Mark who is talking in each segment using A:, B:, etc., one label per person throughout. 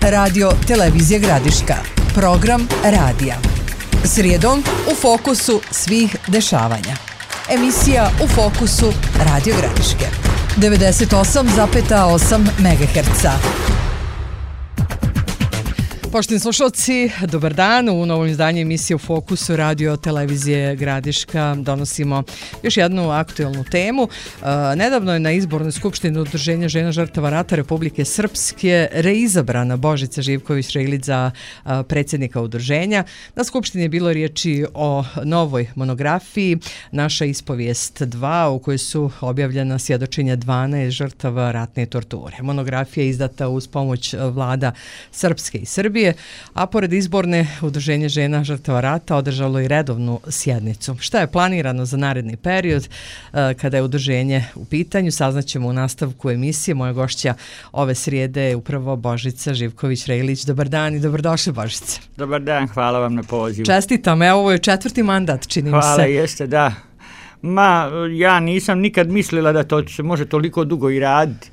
A: Radio Televizije Gradiška. Program radija. Srijedom u fokusu svih dešavanja. Emisija U fokusu Radio Gradiške. 98,8 MHz. Poštovani slušalci, dobar dan. U novom izdanju emisije U fokusu Radio Televizije Gradiška donosimo još jednu aktuelnu temu. Nedavno je na izbornoj skupštini Udruženja žena žrtava rata Republike Srpske reizabrana Božica Živković-Reilić za predsjednika udruženja. Na skupštini je bilo riječi o novoj monografiji Naša ispovijest 2, u kojoj su objavljena svjedočenja 12 žrtava ratne torture. Monografija je izdata uz pomoć vlada Srpske i Srbije, a pored izborne Udruženje žena žrtava rata održalo i redovnu sjednicu. Šta je planirano za naredni period kada je udruženje u pitanju, saznaćemo u nastavku emisije. Moja gošća ove srijede je upravo Božica Živković-Reilić. Dobar dan i dobrodošli, Božica.
B: Dobar dan, hvala vam na pozivu.
A: Čestitam, evo ovo je 4. mandat, čini mi se.
B: Hvala, jeste, da. Ja nisam nikad mislila da to se može toliko dugo i raditi,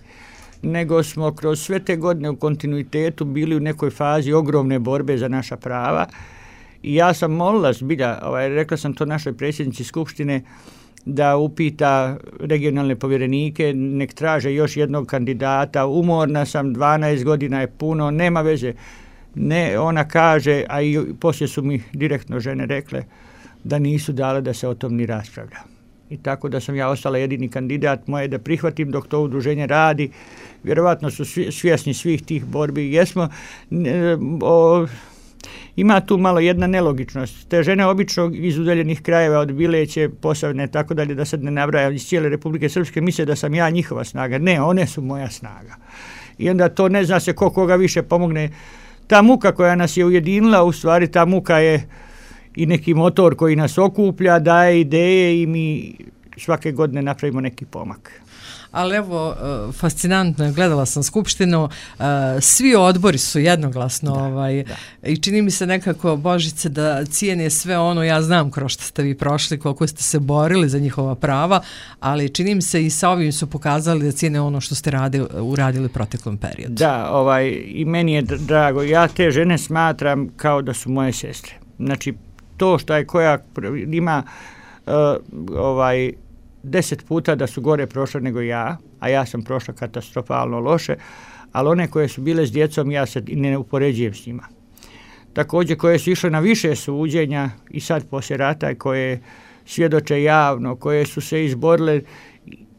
B: nego smo kroz sve te godine u kontinuitetu bili u nekoj fazi ogromne borbe za naša prava i ja sam molila zbilja, rekla sam to našoj predsjednici Skupštine, da upita regionalne povjerenike, nek traže još jednog kandidata. Umorna sam, 12 godina je puno, nema veze. Ne, ona kaže, a i poslije su mi direktno žene rekle da nisu dale da se o tom ni raspravlja. I tako da sam ja ostala jedini kandidat, moje da prihvatim dok to udruženje radi. Vjerovatno su svjesni svih tih borbi. Ima tu malo jedna nelogičnost. Te žene obično iz udaljenih krajeva od Bileće, Posavine, tako dalje, da sad ne nabrajam, iz cijele Republike Srpske, misle da sam ja njihova snaga. Ne, one su moja snaga. I onda to ne zna se koga više pomogne. Ta muka koja nas je ujedinila, u stvari ta muka je i neki motor koji nas okuplja, daje ideje i mi svake godine napravimo neki pomak.
A: Ali evo, fascinantno je, gledala sam skupštinu, svi odbori su jednoglasno i čini mi se nekako, Božice, da cijene sve ono, ja znam kroz što ste vi prošli, koliko ste se borili za njihova prava, ali čini mi se i sa ovim su pokazali da cijene ono što ste uradili proteklom periodu.
B: Da, i meni je drago, ja te žene smatram kao da su moje sestre. Znači, to što je koja ima 10 puta da su gore prošle nego ja, a ja sam prošla katastrofalno loše, ali one koje su bile s djecom ja se ne upoređujem s njima. Također koje su išle na više suđenja i sad poslije rata, koje svjedoče javno, koje su se izborile,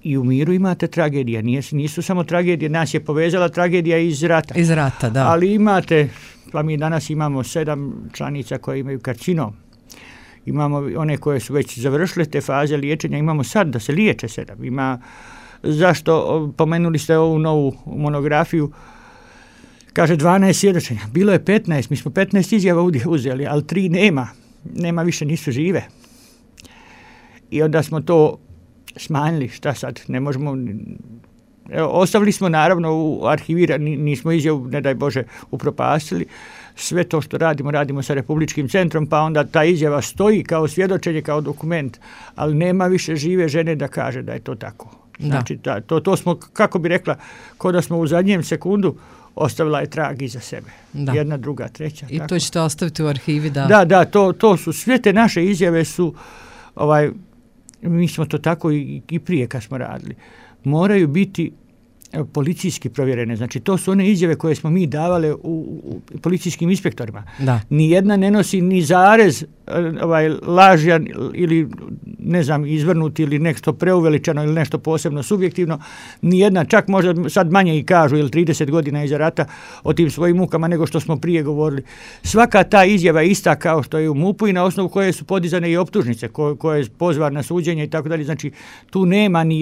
B: i u miru imate tragedija, nisu samo tragedije, nas je povezala tragedija iz rata.
A: Iz rata, da.
B: Ali imate, pa mi danas imamo 7 članica koje imaju karcinom. Imamo one koje su već završile te faze liječenja, imamo sad da se liječe 7. Zašto, pomenuli ste ovu novu monografiju, kaže 12 svjedočenja, bilo je 15, mi smo 15 izjava uzeli, ali 3 nema više, nisu žive. I onda smo to smanjili, šta sad, ne možemo, ostavili smo naravno u arhivirani, nismo izjavu, ne daj Bože, upropastili. Sve to što radimo sa Republičkim centrom, pa onda ta izjava stoji kao svjedočenje, kao dokument, ali nema više žive žene da kaže da je to tako. Znači, to smo, kako bi rekla, kao da smo u zadnjem sekundu ostavila je trag iza sebe. Da. Jedna, druga, treća.
A: I
B: tako.
A: To ćete ostaviti u arhivi, da?
B: Da, to su, sve te naše izjave su, mi smo to tako i prije kad smo radili, moraju biti policijski provjerene. Znači, to su one izjave koje smo mi davale u policijskim inspektorima. Da. Nijedna ne nosi ni zarez lažan ili, ne znam, izvrnuti ili nešto preuveličano ili nešto posebno subjektivno. Nijedna, čak možda sad manje i kažu, ili 30 godina iza rata, o tim svojim mukama nego što smo prije govorili. Svaka ta izjava je ista kao što je u MUP-u i na osnovu koje su podizane i optužnice, koje je pozvan na suđenje i tako dalje. Znači, tu nema ni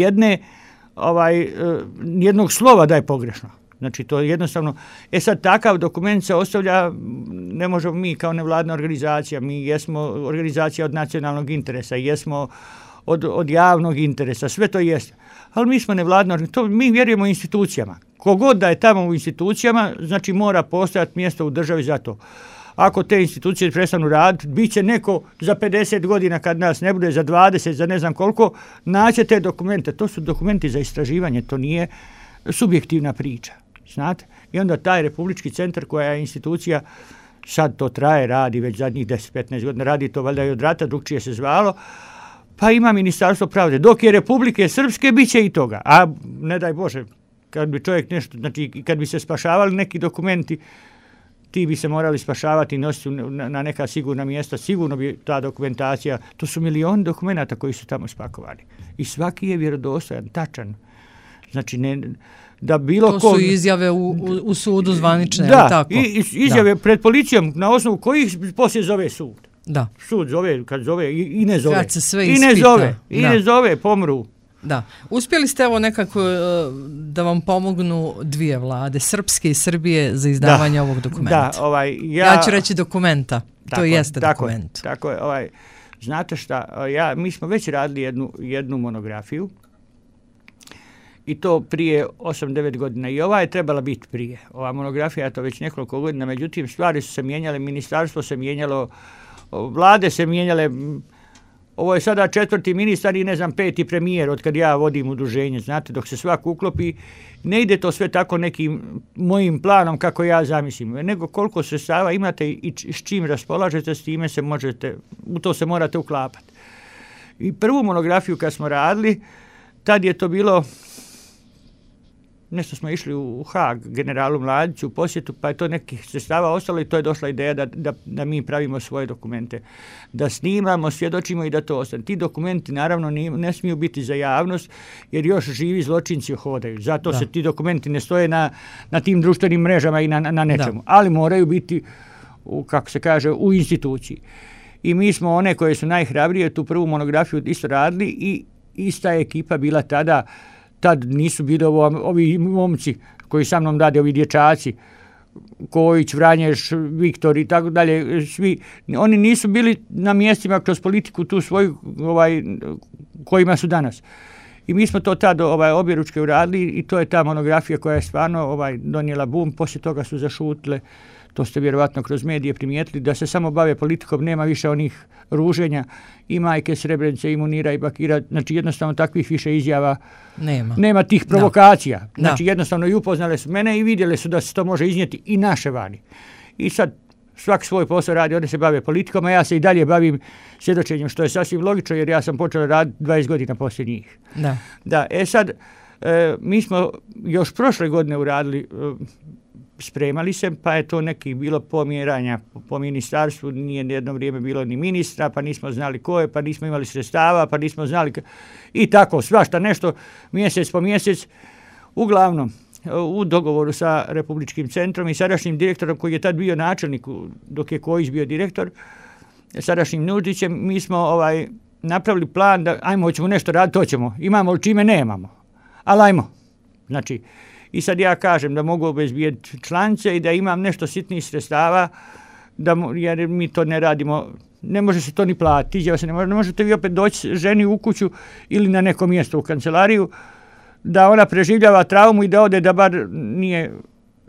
B: jednog slova da je pogrešno. Znači, to je jednostavno. Sad takav dokument se ostavlja, ne možemo mi kao nevladna organizacija, mi jesmo organizacija od nacionalnog interesa, jesmo od javnog interesa, sve to jest. Ali mi smo nevladna organizacija, mi vjerujemo institucijama. Kogod da je tamo u institucijama, znači mora postojati mjesto u državi za to. Ako te institucije prestanu raditi, bit će neko za 50 godina kad nas ne bude, za 20, za ne znam koliko, naće te dokumente. To su dokumenti za istraživanje, to nije subjektivna priča. znate. I onda taj Republički centar koja je institucija, sad to traje, radi već zadnjih 10-15 godina, radi to valjda i od rata, drugčije se zvalo, pa ima Ministarstvo pravde. Dok je Republike Srpske, bit će i toga. A ne daj Bože, kad bi čovjek nešto, znači kad bi se spašavali neki dokumenti, ti bi se morali spašavati i nositi na neka sigurna mjesta, sigurno bi ta dokumentacija, to su milioni dokumenata koji su tamo spakovani. I svaki je vjerodostojan, tačan. Znači, ne, da bilo
A: to su izjave u sudu zvanične,
B: da,
A: tako?
B: I izjave pred policijom, na osnovu kojih poslije zove sud.
A: Da.
B: Sud zove, kad zove, i ne zove.
A: Kad se sve
B: I
A: ispita.
B: ne zove, pomru.
A: Da. Uspjeli ste evo nekako da vam pomognu dvije vlade, Srpske i Srbije, za izdavanje ovog dokumenta.
B: Da,
A: ja ću reći dokumenta. To jeste dokument.
B: Tako je, znate šta, mi smo već radili jednu monografiju i to prije 8-9 godina. I ova je trebala biti prije. Ova monografija je to već nekoliko godina, međutim stvari su se mijenjale, ministarstvo se mijenjalo, vlade se mijenjale. Ovo je sada 4. ministar i 5. premijer od kad ja vodim udruženje, znate, dok se svak uklopi, ne ide to sve tako nekim mojim planom kako ja zamislim, nego koliko sredstava imate i s čim raspolažete, s time se možete, u to se morate uklapati. I prvu monografiju kad smo radili, tad je to bilo, nešto smo išli u Haag, generalu Mladiću u posjetu, pa je to nekih sredstava ostalo i to je došla ideja da mi pravimo svoje dokumente. Da snimamo, svjedočimo i da to ostane. Ti dokumenti naravno ne smiju biti za javnost jer još živi zločinci hodaju. Zato se ti dokumenti ne stoje na tim društvenim mrežama i na nečemu. Ali moraju biti, kako se kaže, u instituciji. I mi smo one koje su najhrabrije tu prvu monografiju isto radili i ista ekipa bila tada. Tad nisu bili ovi momci koji sa mnom rade, ovi dječaci, Kojić, Vranješ, Viktor i tako dalje, svi, oni nisu bili na mjestima kroz politiku tu svoju, kojima su danas. I mi smo to tad objeručke uradili i to je ta monografija koja je stvarno donijela bum, poslije toga su zašutile, to ste vjerovatno kroz medije primijetili, da se samo bave politikom, nema više onih ruženja i Majke Srebrenice, i Munira i Bakira, znači jednostavno takvih više izjava nema tih provokacija. Znači jednostavno i upoznale su mene i vidjele su da se to može iznijeti i naše vani. I sad svak svoj posao radi, oni se bave politikom, a ja se i dalje bavim svjedočenjem, što je sasvim logično jer ja sam počeo raditi 20 godina poslije njih. Da, sad, mi smo još prošle godine uradili, spremali se, pa je to neki bilo pomjeranja po ministarstvu, nije jedno vrijeme bilo ni ministra, pa nismo znali ko je, pa nismo imali sredstava, pa nismo znali i tako, svašta nešto, mjesec po mjesec. Uglavnom, u dogovoru sa Republičkim centrom i sadašnjim direktorom koji je tad bio načelnik, dok je Kojić bio direktor, sadašnjim Nuđićem, mi smo napravili plan da hoćemo nešto raditi, to ćemo, imamo li čime, nemamo, ali ajmo. Znači, i sad ja kažem da mogu obezbijediti članice i da imam nešto sitnih sredstava, jer mi to ne radimo, ne može se to ni platiti, ne možete vi opet doći ženi u kuću ili na neko mjesto u kancelariju, da ona preživljava traumu i da ode da bar nije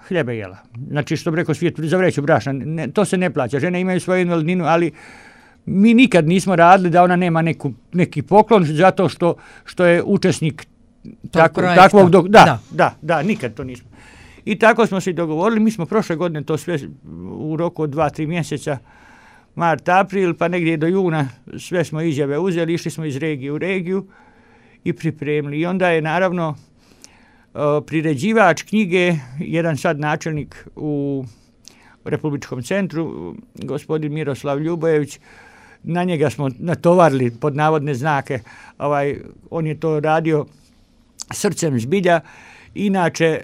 B: hljeba jela. Znači, što bi rekao svijet, za vreću brašna, to se ne plaća. Žene imaju svoju invalidninu, ali mi nikad nismo radili da ona nema neki poklon zato što je učesnik takvog da, nikad to nismo. I tako smo se dogovorili, mi smo prošle godine to sve u roku od 2-3 mjeseca, mart, april, pa negdje do juna sve smo izjave uzeli, išli smo iz regije u regiju i pripremili. I onda je naravno priređivač knjige, jedan sad načelnik u Republičkom centru, gospodin Miroslav Ljubojević, na njega smo natovarili pod navodne znake, on je to radio srcem zbilja. Inače,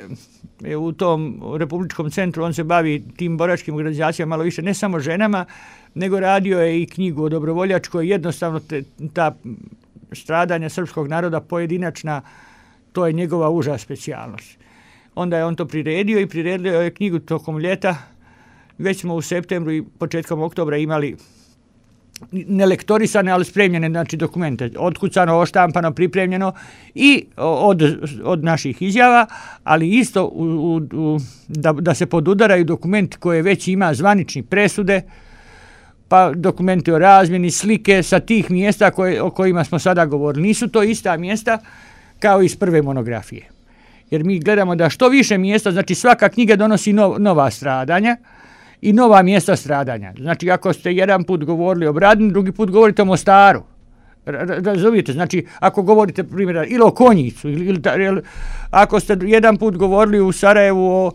B: u tom Republičkom centru on se bavi tim boračkim organizacijama malo više, ne samo ženama, nego radio je i knjigu o dobrovoljačkoj, jednostavno ta stradanja srpskog naroda pojedinačna, to je njegova uža specijalnost. Onda je on to priredio i priredio je knjigu tokom ljeta. Već smo u septembru i početkom oktobra imali nelektorisane, ali spremljene, znači dokumente, otkucano, oštampano, pripremljeno i od naših izjava, ali isto da se podudaraju dokumenti koje već ima zvanični presude, pa dokumenti o razmjeni, slike sa tih mjesta o kojima smo sada govorili. Nisu to ista mjesta kao iz prve monografije. jer mi gledamo da što više mjesta, znači svaka knjiga donosi nova stradanja i nova mjesta stradanja. Znači ako ste jedan put govorili o Bradini, drugi put govorite o Mostaru. Razumijete? Znači ako govorite primjer ili o Konjicu ili ako ste jedan put govorili u Sarajevu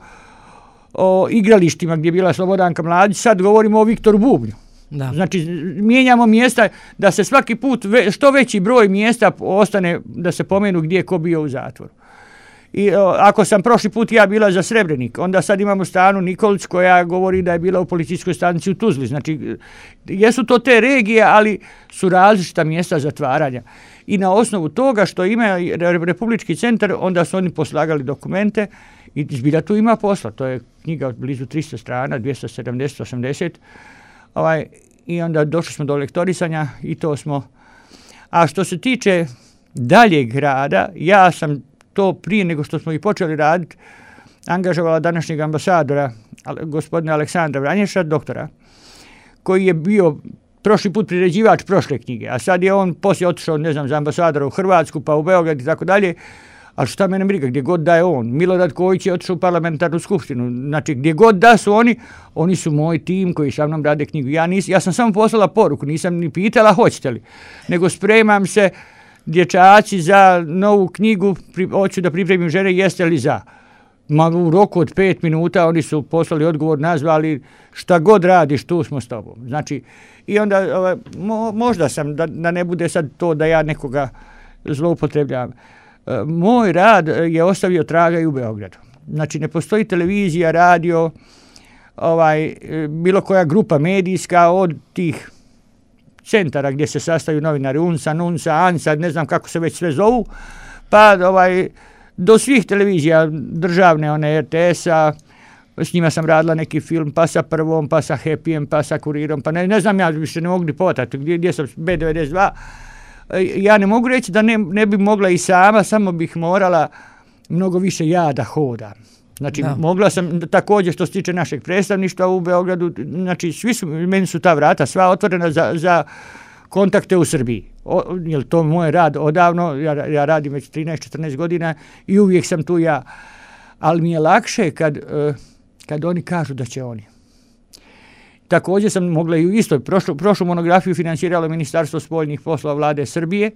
B: o igralištima gdje je bila Slobodanka Mladić, sad govorimo o Viktoru Bubnju.
A: Da.
B: Znači mijenjamo mjesta da se svaki put što veći broj mjesta ostane da se pomenu gdje je ko bio u zatvoru. I ako sam prošli put ja bila za Srebrenik, onda sad imamo Stanu Nikolić koja govori da je bila u policijskoj stanici u Tuzli. Znači jesu to te regije, ali su različita mjesta zatvaranja. I na osnovu toga što ima Republički centar, onda su oni poslagali dokumente i zbilja tu ima posla. To je knjiga od blizu 300 strana, 270, 80. I onda došli smo do lektorisanja i to smo. A što se tiče daljeg rada, ja sam to prije nego što smo i počeli raditi angažovala današnjeg ambasadora, gospodina Aleksandra Vranješa, doktora, koji je bio prošli put priređivač prošle knjige, a sad je on poslije otišao, ne znam, za ambasadora u Hrvatsku, pa u Beograd i tako dalje, ali šta mene briga, gdje god da je on. Milorad Kojić je otišao u parlamentarnu skupštinu, znači gdje god da su oni su moj tim koji sa mnom rade knjigu. Ja sam samo poslala poruku, nisam ni pitala hoćete li, nego spremam se dječaci za novu knjigu, hoću da pripremim žene, jeste li za? U roku od 5 minuta oni su poslali odgovor, nazvali šta god radiš, tu smo s tobom. Znači, i onda možda sam, da ne bude sad to da ja nekoga zloupotrebljavam. Moj rad je ostavio traga i u Beogradu. Znači, ne postoji televizija, radio, bilo koja grupa medijska od tih centara gdje se sastaju novinari UNSA, NUNSA, ANSA, ne znam kako se već sve zovu, pa do svih televizija državne, one RTS-a, s njima sam radila neki film, pa sa Prvom, pa sa Happyjem, pa sa Kurirom, pa ne znam, ja više ne mogu ni povatati gdje sam, B92. Ja ne mogu reći da ne bi mogla i sama, samo bih morala mnogo više ja da hodam. Znači, mogla sam također što se tiče našeg predstavništva u Beogradu, znači meni su ta vrata sva otvorena za kontakte u Srbiji. Jer to moj rad odavno, ja radim već 13-14 godina i uvijek sam tu ja. Ali mi je lakše kad oni kažu da će oni. Također sam mogla i u istoj, prošlu monografiju financiralo Ministarstvo spoljnih poslova Vlade Srbije,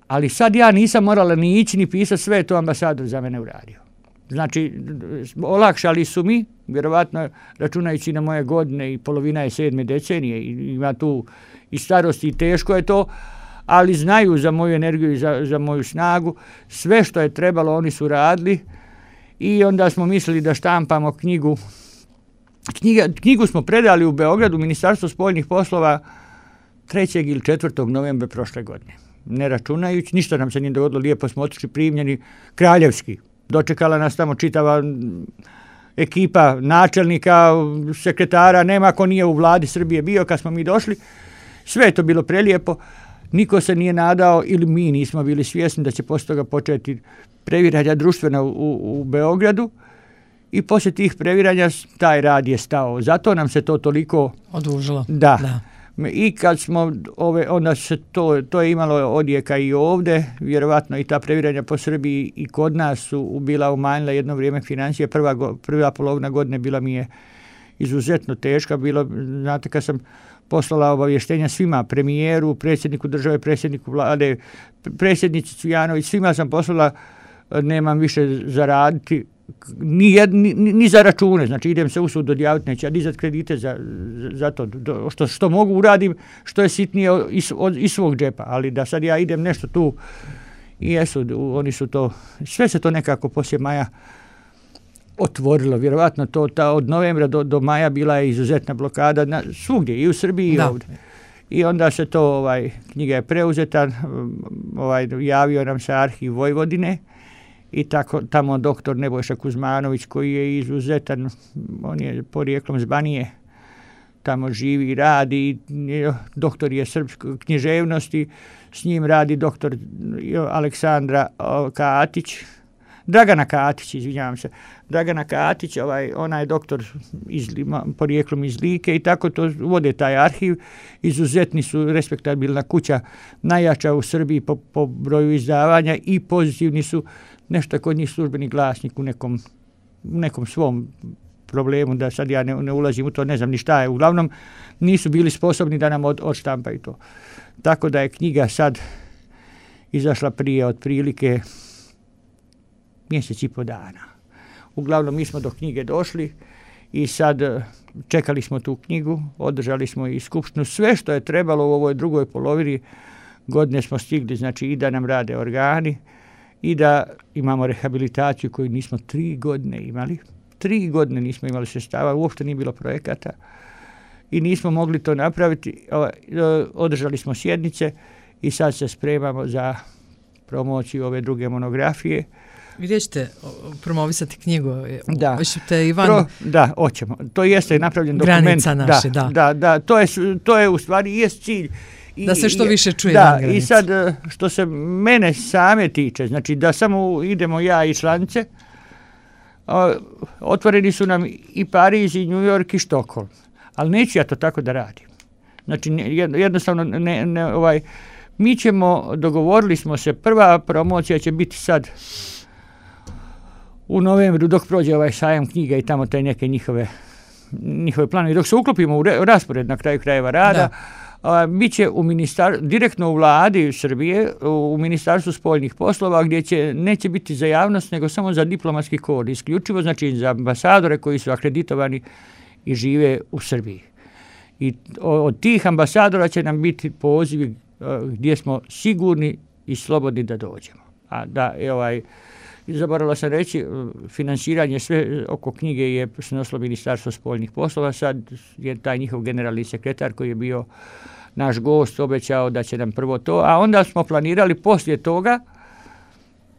B: ali sad ja nisam morala ni ići ni pisati, sve je to ambasador za mene uradio. Znači, olakšali su mi, vjerovatno računajući na moje godine i polovina je 7. decenije, ima tu i starosti i teško je to, ali znaju za moju energiju i za moju snagu, sve što je trebalo oni su radili i onda smo mislili da štampamo knjigu. Knjigu smo predali u Beogradu, Ministarstvo spoljnih poslova 3. ili 4. novembra prošle godine. Ne računajući, ništa nam se nije dogodilo, lijepo smo otišli primljeni, kraljevski. Dočekala nas tamo čitava ekipa načelnika, sekretara, nema ko nije u vladi Srbije bio kad smo mi došli. Sve je to bilo prelijepo. Niko se nije nadao ili mi nismo bili svjesni da će poslije toga početi previranja društvena u Beogradu i poslije tih previranja taj rad je stao. Zato nam se to toliko
A: odužilo.
B: Da. I kad smo onda se to je imalo odjeka i ovdje, vjerovatno i ta previranja po Srbiji i kod nas su bila umanjila jedno vrijeme financije. Prva polovina godine bila mi je izuzetno teška. Znate, kad sam poslala obavještenja svima, premijeru, predsjedniku države, predsjedniku vlade, predsjednici Cvijanović, svima sam poslala, nemam više za raditi, ni za račune, znači idem se usud odjaviti, neće dizati kredite za to, što mogu uradim, što je sitnije iz svog džepa, ali da sad ja idem nešto tu i jesu, oni su to, sve se to nekako poslije maja otvorilo, vjerovatno od novembra do maja bila je izuzetna blokada svugdje, i u Srbiji i ovdje. I onda se to, knjiga je preuzeta, javio nam se Arhiv Vojvodine, i tako tamo doktor Nebojša Kuzmanović koji je izuzetan, on je porijeklom z Banije, tamo živi i radi, doktor je srpske književnosti, s njim radi doktor Aleksandra Katić, Dragana Katić, Dragana Katić, ona je doktor porijeklom iz Like i tako to vode taj arhiv. Izuzetni su, respektabilna kuća, najjača u Srbiji po broju izdavanja i pozitivni su nešto je kod njih službeni glasnik u nekom svom problemu, da sad ja ne ulazim u to, ne znam ni šta je. Uglavnom nisu bili sposobni da nam odštampaju to. Tako da je knjiga sad izašla prije otprilike mjesec i po dana. Uglavnom mi smo do knjige došli i sad čekali smo tu knjigu, održali smo i skupštinu. Sve što je trebalo u ovoj drugoj polovini godine smo stigli, znači i da nam rade organi i da imamo rehabilitaciju koju nismo 3 godine imali. 3 godine nismo imali sredstava, uopšte nije bilo projekata i nismo mogli to napraviti. Održali smo sjednice i sad se spremamo za promociju ove druge monografije.
A: Gdje ćete promovisati knjigu?
B: Da,
A: Da,
B: hoćemo. To jeste napravljen dokument.
A: Granica naše,
B: da. To je u stvari jest cilj.
A: Da se što više čuje van granice.
B: I sad što se mene same tiče, znači da samo idemo ja i članice, otvoreni su nam i Pariz, i New York, i Štokholm. Ali neću ja to tako da radim. Znači jednostavno mi ćemo, dogovorili smo se, prva promocija će biti sad u novembru dok prođe ovaj sajam knjiga i tamo te neke njihove planovi. Dok se uklopimo u raspored na kraju krajeva rada, bit će direktno u vladi Srbije, u Ministarstvu spoljnih poslova, gdje neće biti za javnost, nego samo za diplomatski kod, isključivo, znači za ambasadore koji su akreditovani i žive u Srbiji. I od tih ambasadora će nam biti pozivi gdje smo sigurni i slobodni da dođemo. A da zaboravila sam reći, finansiranje sve oko knjige je snosilo Ministarstvo spoljnih poslova. Sad je taj njihov generalni sekretar koji je bio naš gost obećao da će nam prvo to, a onda smo planirali poslije toga,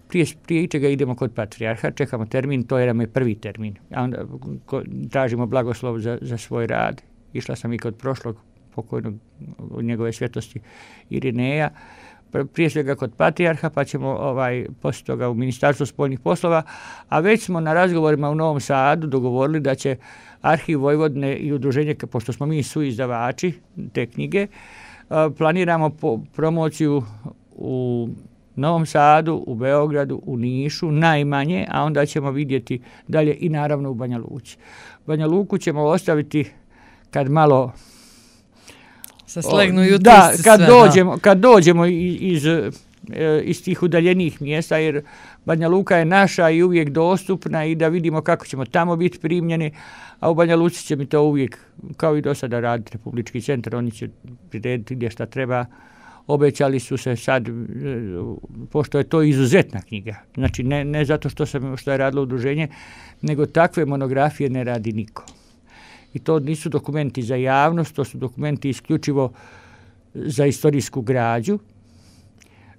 B: prije ičega idemo kod patrijarha, čekamo termin, to je nam je prvi termin, a onda tražimo blagoslov za svoj rad. Išla sam i kod prošlog pokojnog njegove svetosti Irineja, prije svega kod patrijarha, pa ćemo poslije toga u Ministarstvu spoljnih poslova, a već smo na razgovorima u Novom Sadu dogovorili da će Arhiv Vojvodine i udruženje, pošto smo mi suizdavači te knjige, planiramo promociju u Novom Sadu, u Beogradu, u Nišu, najmanje, a onda ćemo vidjeti dalje i naravno u Banja Luci. Banja Luku ćemo ostaviti kad malo kad dođemo iz tih udaljenih mjesta, jer Banja Luka je naša i uvijek dostupna i da vidimo kako ćemo tamo biti primljeni, a u Banja Luci će mi to uvijek, kao i do sada, raditi Republički centar, oni će prirediti gdje šta treba. Obećali su se sad, pošto je to izuzetna knjiga, znači ne zato što je radilo udruženje, nego takve monografije ne radi niko. I to nisu dokumenti za javnost, to su dokumenti isključivo za istorijsku građu,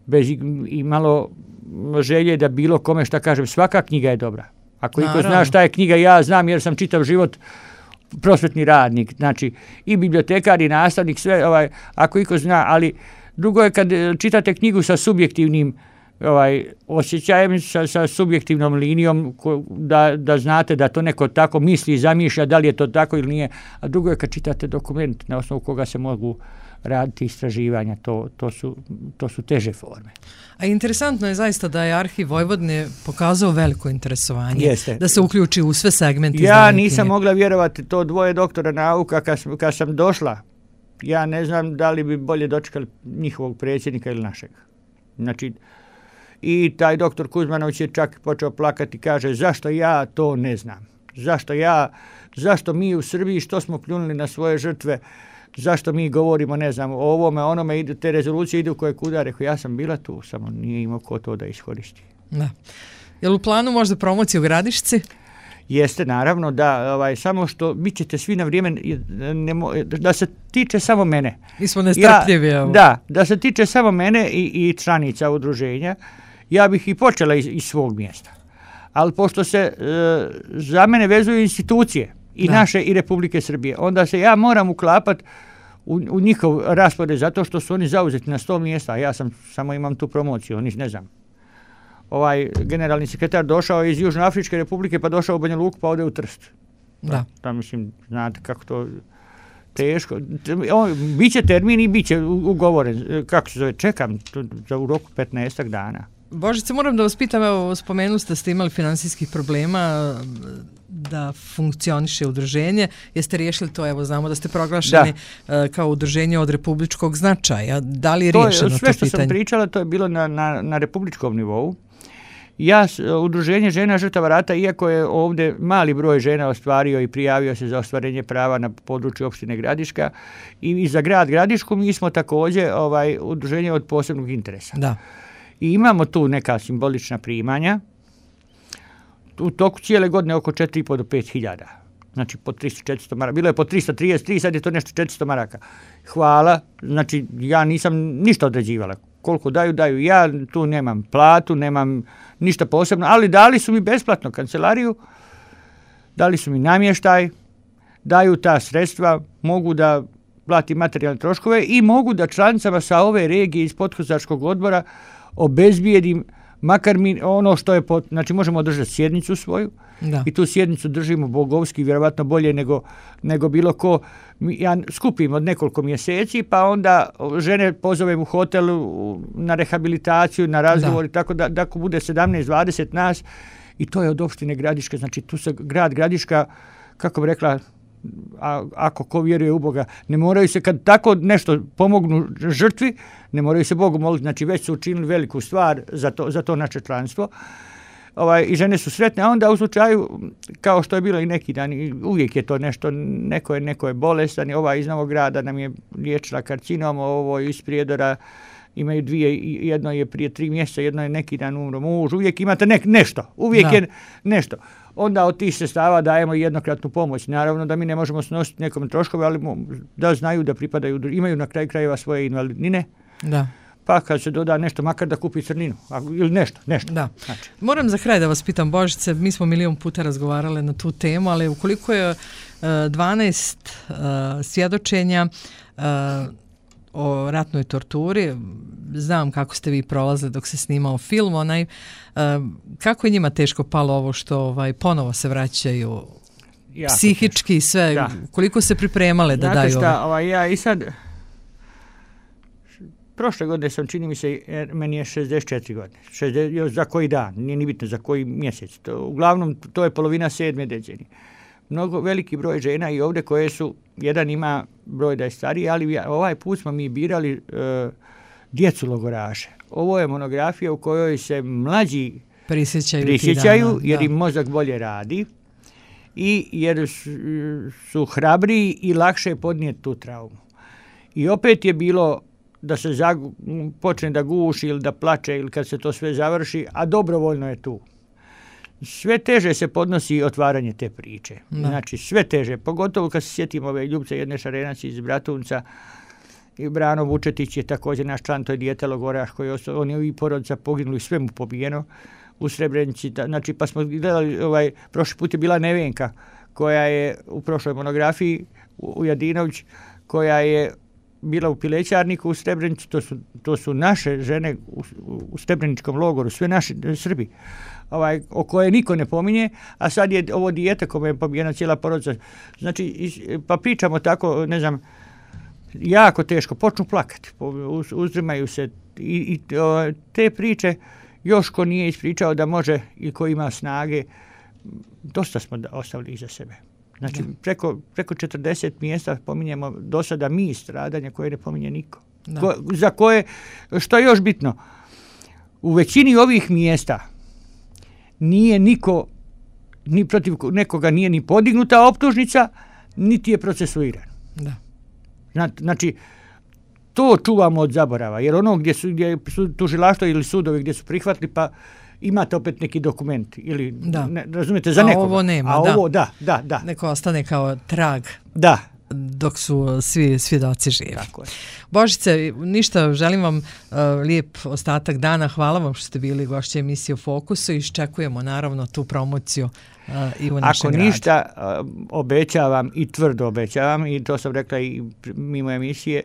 B: bez i malo želje da bilo kome šta kažem, svaka knjiga je dobra. Ako iko zna šta je knjiga, ja znam jer sam čitav život prosvetni radnik, znači i bibliotekar i nastavnik, sve, ako iko zna, ali drugo je kad čitate knjigu sa subjektivnim osjećajem, sa subjektivnom linijom, da znate da to neko tako misli i zamišlja, da li je to tako ili nije, a drugo je kad čitate dokument na osnovu koga se mogu raditi istraživanja, to su teže forme.
A: A interesantno je zaista da je Arhiv Vojvodine pokazao veliko interesovanje, da se uključi u sve segmente.
B: Ja nisam mogla vjerovati, to 2 doktora nauka, kad sam došla, ja ne znam da li bi bolje dočekali njihovog predsjednika ili našeg. Znači, i taj doktor Kuzmanović je čak počeo plakati, kaže, zašto ja to ne znam? Zašto mi u Srbiji, što smo pljunuli na svoje žrtve, zašto mi govorimo, ne znam, o ovome, onome, te rezolucije idu koje kuda, rekao, ja sam bila tu, samo nije imao ko to da iskoristi.
A: Da. Je li u planu možda promocija u Gradišci?
B: Jeste, naravno, da, samo što bit ćete svi na vrijeme, da se tiče samo mene.
A: Mi smo nestrpljivi.
B: Da se tiče samo mene i članica udruženja, ja bih i počela iz svog mjesta. Ali pošto se za mene vezuju institucije, i naše i Republike Srbije, onda se ja moram uklapati u njihov raspored, zato što su oni zauzeti na 100 mjesta, a ja samo imam tu promociju, oni ne znam. Generalni sekretar došao iz Južnoafričke Republike, pa došao u Banja Luku, pa ode u Trst. Da, mislim, znate kako to teško. Biće termin i biće ugovoren, kako se zove, čekam u roku 15 dana.
A: Božice, moram da vas pitam, evo, spomenuli ste imali finansijskih problema da funkcioniše udruženje. Jeste riješili to? Evo, znamo da ste proglašeni kao udruženje od republičkog značaja. Da li je riješeno to pitanje?
B: Sve što sam pričala, to je bilo na republičkom nivou. Udruženje žena žrtava rata, iako je ovdje mali broj žena ostvario i prijavio se za ostvarenje prava na području opštine Gradiška i za grad Gradišku, mi smo također udruženje od posebnog interesa.
A: Da.
B: I imamo tu neka simbolična primanja. U toku cijele godine oko 4.500 do 5.000. Znači po 300-400 maraka. Bilo je po 333, sad je to nešto 400 maraka. Hvala. Znači ja nisam ništa određivala. Koliko daju. Ja tu nemam platu, nemam ništa posebno, ali dali su mi besplatno kancelariju, dali su mi namještaj, daju ta sredstva, mogu da plati materijalne troškove i mogu da članicama sa ove regije iz podkozačkog odbora obezbijedim makar mi ono što je, znači možemo održati sjednicu svoju i tu sjednicu držimo bogovski, vjerovatno bolje nego bilo ko. Ja skupim od nekoliko mjeseci, pa onda žene pozovem u hotel na rehabilitaciju, na razgovor i tako da ako bude 17-20 nas i to je od opštine Gradiška, znači tu se grad Gradiška, kako bi rekla, ako ko vjeruje u Boga, ne moraju se kad tako nešto pomognu žrtvi, ne moraju se Bogu moliti, znači već su učinili veliku stvar za to naše članstvo. I žene su sretne, a onda u slučaju, kao što je bilo i neki dan, uvijek je to nešto, neko je bolestan, ova iz Novog Grada nam je liječila karcinom, ovo iz Prijedora, imaju dvije, jedno je prije 3 mjeseca, jedno je neki dan umro muž, uvijek imate nešto, uvijek je nešto. Onda od tih sredstava dajemo jednokratnu pomoć. Naravno da mi ne možemo snositi nekom troškove, ali da znaju da pripadaju, imaju na kraju krajeva svoje invalidnine.
A: Da.
B: Pa kad se doda nešto, makar da kupi crninu ili nešto.
A: Da. Znači. Moram za kraj da vas pitam, Božice, mi smo milion puta razgovarali na tu temu, ali ukoliko je 12 svjedočenja o ratnoj torturi, znam kako ste vi prolazili dok se snimao film, kako je njima teško palo ovo što ponovo se vraćaju psihički i sve, koliko se pripremale da daju ovo?
B: Znate šta, ja i sad prošle godine sam, čini mi se, meni je 64 godine. Još za koji dan, nije ni bitno za koji mjesec. Uglavnom, to je polovina 7. decenije. Mnogo veliki broj žena i ovdje koje su, jedan ima broj da je stariji, ali ovaj put smo mi birali djecu logoraše. Ovo je monografija u kojoj se mlađi prisjećaju jer im mozak bolje radi i jer su hrabriji i lakše podnijeti tu traumu. I opet je bilo da se počne da guši ili da plače ili kad se to sve završi, a dobrovoljno je tu. Sve teže se podnosi otvaranje te priče. Znači sve teže, pogotovo kad se sjetimo ove Ljubce jedne Šarenac iz Bratunca i Brano Vučetić je također naš član, to je dijete logoraš koji je on je i porodica poginuli, sve mu pobijeno u Srebrenici. Znači pa smo gledali, prošli put je bila Nevenka koja je u prošloj monografiji u Jadinović, koja je bila u Pilećarniku u Srebrenici, to su naše žene u Srebreničkom logoru, sve naši Srbi, o koje niko ne pominje, a sad je ovo dijete kome je pobijena cijela porodica. Znači, pa pričamo tako, ne znam, jako teško, počnu plakati, uzdrmaju se i te priče još ko nije ispričao da može i ko ima snage, dosta smo ostavili iza sebe. Znači, preko 40 mjesta pominjemo do sada mi stradanja koje ne pominje niko. Za koje, što je još bitno, u većini ovih mjesta nije niko, ni protiv nekoga nije ni podignuta optužnica, niti je procesuiran. Znači, to čuvamo od zaborava, jer ono gdje su tužilaštvo ili sudovi gdje su prihvatili, pa imate opet neki dokument ili razumijete za nekoga.
A: A ovo nema,
B: ovo, da.
A: Neko ostane kao trag.
B: Da.
A: Dok su svi svjedoci živi.
B: Tako je.
A: Božice, ništa, želim vam lijep ostatak dana. Hvala vam što ste bili gošće emisije u Fokusu i iščekujemo naravno tu promociju i u našem gradu.
B: Ako ništa, obećavam i tvrdo obećavam i to sam rekla i mimo emisije,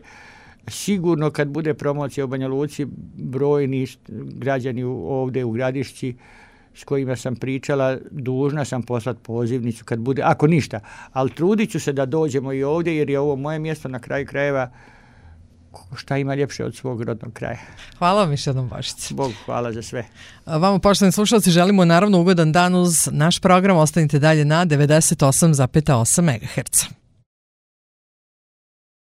B: sigurno kad bude promocija u Banja Luci, brojni građani ovdje u Gradišci s kojima sam pričala, dužna sam poslati pozivnicu kad bude, ako ništa, ali trudit ću se da dođemo i ovdje jer je ovo moje mjesto na kraju krajeva, šta ima ljepše od svog rodnog kraja.
A: Hvala vam još jednom, Božice.
B: Bog hvala za sve.
A: Vama, poštovani slušalci, želimo naravno ugodan dan uz naš program. Ostanite dalje na 98,8 MHz.